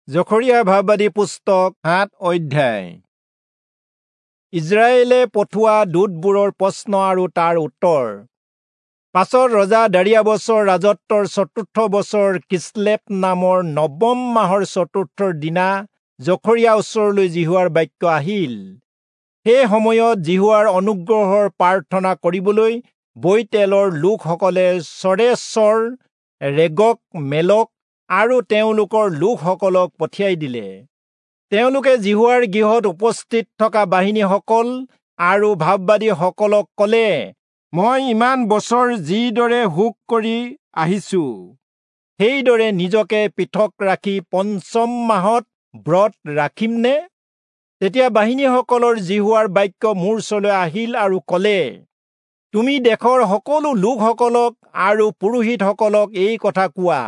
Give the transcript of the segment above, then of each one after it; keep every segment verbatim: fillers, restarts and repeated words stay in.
জখৰিয়া ভাববাদী পুস্তক সাত অধ্যায়। ইজৰাইলে পঠোৱা দূতবোৰৰ প্ৰশ্ন আৰু তাৰ উত্তৰ। পাছত ৰজা দাৰিয়াবছৰ ৰাজত্বৰ চতুৰ্থ বছৰ কিছলেপ নামৰ নৱম মাহৰ চতুৰ্থ দিনা জখৰিয়া ওচৰলৈ যিহোৱাৰ বাক্য আহিল। সেই সময়ত যিহোৱাৰ অনুগ্ৰহৰ প্ৰাৰ্থনা কৰিবলৈ বৈতেলৰ লোকসকলে চৰেচৰ, ৰেগক, মেলক আৰু তেওঁলোকৰ লোকসকলক পঠিয়াই দিলে। তেওঁলোকে যিহোৱাৰ গৃহত উপস্থিত থকা বাহিনীসকল আৰু ভাববাদীসকলক কলে, মই ইমান বছৰ যিদৰে শোক কৰি আহিছো, সেইদৰে নিজকে পৃথক ৰাখি পঞ্চম মাহত ব্ৰত ৰাখিমনে? তেতিয়া বাহিনীসকলৰ যিহোৱাৰ বাক্য মোৰ ওচৰলৈ আহিল আৰু কলে, তুমি দেশৰ সকলো লোকসকলক আৰু পুৰোহিতসকলক এই কথা কোৱা,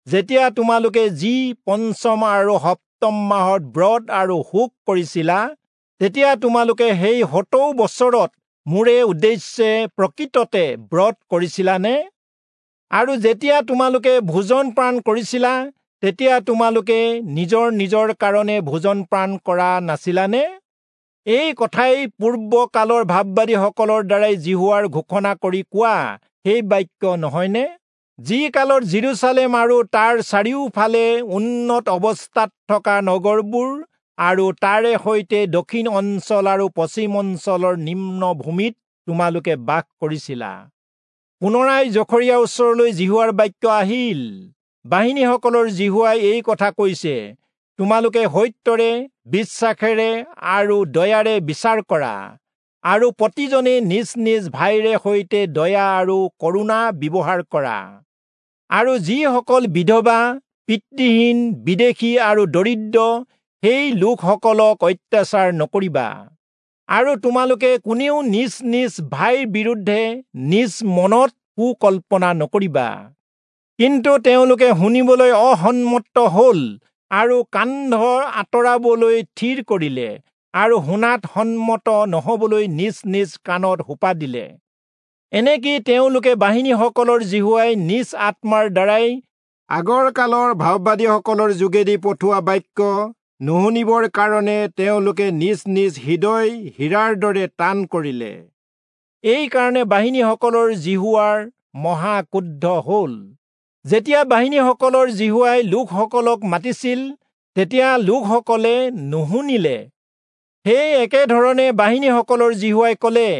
যেতিয়া তোমালোকে যি পঞ্চম আৰু সপ্তম মাহত ব্ৰত আৰু শোক কৰিছিলা, তেতিয়া তোমালোকে সেই সত্তৰ বছৰত মোৰে উদ্দেশ্যে প্ৰকৃততে ব্ৰত কৰিছিলানে? আৰু যেতিয়া তোমালোকে ভোজন পান কৰিছিলা, তেতিয়া তোমালোকে নিজৰ নিজৰ কাৰণে ভোজন পান কৰা নাছিলানে? এই কথাই পূৰ্বকালৰ ভাববাদীসকলৰ দ্বাৰাই যিহোৱাৰ ঘোষণা কৰি কোৱা সেই বাক্য নহয়নে? যি কালত যিৰূচালেম আৰু তাৰ চাৰিওফালে উন্নত অৱস্থাত থকা নগৰবোৰ আৰু তাৰে সৈতে দক্ষিণ অঞ্চল আৰু পশ্চিম অঞ্চলৰ নিম্ন ভূমিত তোমালোকে বাস কৰিছিলা। পুনৰাই জখৰিয়াৰ ওচৰলৈ যিহোৱাৰ বাক্য আহিল, বাহিনীসকলৰ যিহোৱাই এই কথা কৈছে, তোমালোকে সত্যৰে, বিশ্বাসেৰে আৰু দয়াৰে বিচাৰ কৰা, আৰু প্ৰতিজনে নিজ নিজ ভাইৰে সৈতে দয়া আৰু কৰুণা ব্যৱহাৰ কৰা। আৰু যিসকল বিধৱা, পিতৃহীন, বিদেশী আৰু দৰিদ্ৰ, সেই লোকসকলক অত্যাচাৰ নকৰিবা। আৰু তোমালোকে কোনেও নিজ নিজ ভাইৰ বিৰুদ্ধে নিজ মনত কুকল্পনা নকৰিবা। কিন্তু তেওঁলোকে শুনিবলৈ অসন্মত হল আৰু কান্ধ আঁতৰাবলৈ থিৰ কৰিলে আৰু শুনাত সন্মত নহবলৈ নিজ নিজ কাণত সোপা দিলে। এনেকি তেওঁলোকে বাহিনীসকলৰ যিহোৱাই নিজ আত্মাৰ দ্বাৰাই আগৰ কালৰ ভাববাদীসকলৰ যোগেদি পঠোৱা বাক্য নুশুনিবৰ কাৰণে তেওঁলোকে নিজ নিজ হৃদয় হীৰাৰ দৰে টান কৰিলে। এইকাৰণে বাহিনীসকলৰ যিহোৱাৰ মহা ক্ৰুদ্ধ হল। যেতিয়া বাহিনীসকলৰ যিহোৱাই লোকসকলক মাতিছিল, তেতিয়া লোকসকলে নুশুনিলে। সেই একেধৰণে বাহিনীসকলৰ যিহোৱাই কলে,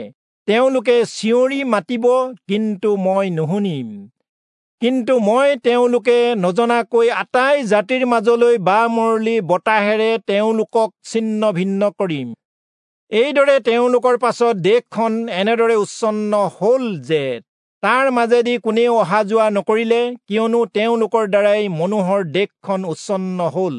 তেওঁলোকে চিঞৰি মাতিব, কিন্তু মই নুশুনিম। কিন্তু মই তেওঁলোকে নজনাকৈ আটাই জাতিৰ মাজলৈ বামৰলি বতাহেৰে তেওঁলোকক ছিন্ন ভিন্ন কৰিম। এইদৰে তেওঁলোকৰ পাছত দেশখন এনেদৰে উচ্ছন্ন হল যে তাৰ মাজেদি কোনেও অহা যোৱা নকৰিলে, কিয়নো তেওঁলোকৰ দ্বাৰাই মনোহৰ দেশখন উচ্ছন্ন হল।